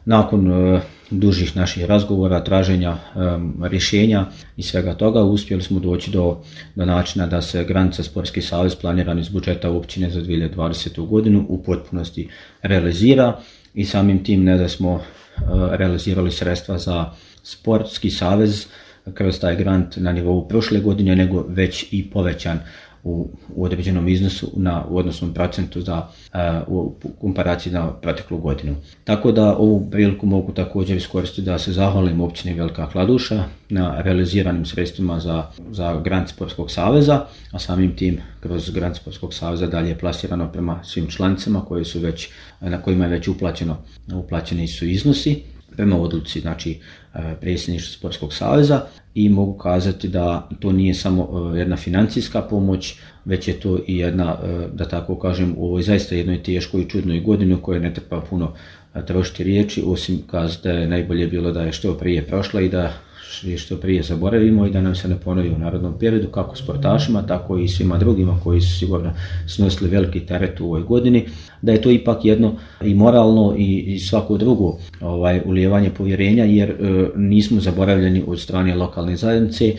Nakon dužih naših razgovora, traženja rješenja i svega toga uspjeli smo doći do načina da se granica Sportski savez planiran iz budžeta općine za 2020. godinu u potpunosti realizira i samim tim ne da smo realizirali sredstva za Sportski savez kroz taj grant na nivou prošle godine, nego već i povećan u određenom iznosu u odnosnom procentu u komparaciji na proteklu godinu. Tako da ovu priliku mogu također iskoristiti da se zahvalim općini Velika Kladuša na realiziranim sredstvima za grant Sportskog saveza, a samim tim kroz grant Sportskog saveza dalje je plasirano prema svim članicama na kojima je već uplaćeni su iznosi prema odluci predsjedništva Sportskog saveza i mogu kazati da to nije samo jedna financijska pomoć, već je to i jedna, da tako kažem, u ovoj zaista jednoj teškoj i čudnoj godini u kojoj ne treba puno trošiti riječi, osim kazati da je najbolje bilo da je što prije prošla i da je što prije zaboravimo i da nam se ne ponovi u narednom periodu, kako sportašima, tako i svima drugima koji su sigurno snosili veliki teret u ovoj godini, da je to ipak jedno i moralno i svako drugo ulijevanje povjerenja, jer nismo zaboravljeni od strane lokalne zajednice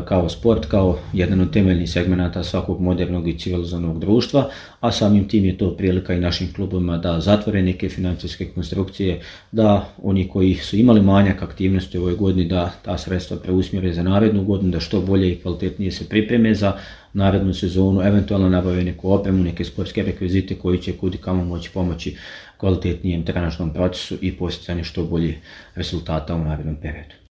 kao sport, kao jedan od temeljnih segmenata svakog modernog i civilizovanog društva, a samim tim je to prilika i našim klubovima da zatvore neke financijske konstrukcije, da oni koji su imali manjak aktivnosti u ovoj godini da ta sredstva preusmjere za narednu godinu, da što bolje i kvalitetnije se pripreme za narednu sezonu, eventualno nabave neku opremu, neke sportske rekvizite koji će kud i kamo moći pomoći kvalitetnijem trenažnom procesu i postizanju što boljih rezultata u narednom periodu.